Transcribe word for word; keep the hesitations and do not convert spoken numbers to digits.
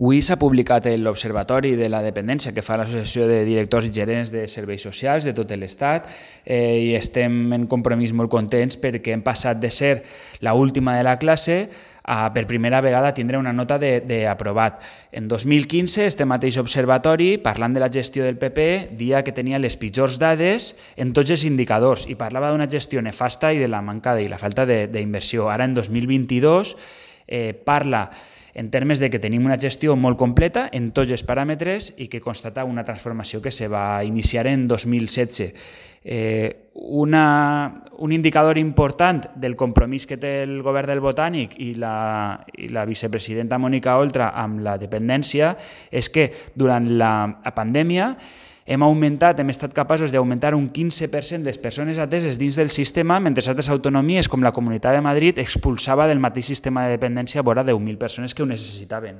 Avui s'ha publicat l'Observatori de la Dependència que fa l'Associació de Directors i Gerents de Serveis Socials de tot l'Estat eh, i estem en compromís molt contents perquè hem passat de ser l'última de la classe a per primera vegada tindre una nota d'aprovat. En dos mil quinze, este mateix observatori, parlant de la gestió del P P, dia que tenia les pitjors dades en tots els indicadors i parlava d'una gestió nefasta i de la manca i la falta d'inversió. Ara, en dos mil vint-i-dos, eh, parla en termes de que tenim una gestió molt completa en tots els paràmetres i que constata una transformació que se va iniciar en dos mil setze. Eh, una, un indicador important del compromís que té el govern del Botànic i la, i la vicepresidenta Mònica Oltra amb la dependència és que durant la pandèmia hem augmentat, hem estat capaços d'augmentar un quinze per cent les persones ateses dins del sistema, mentre altres autonomies, com la Comunitat de Madrid, expulsava del mateix sistema de dependència vora deu mil persones que ho necessitaven.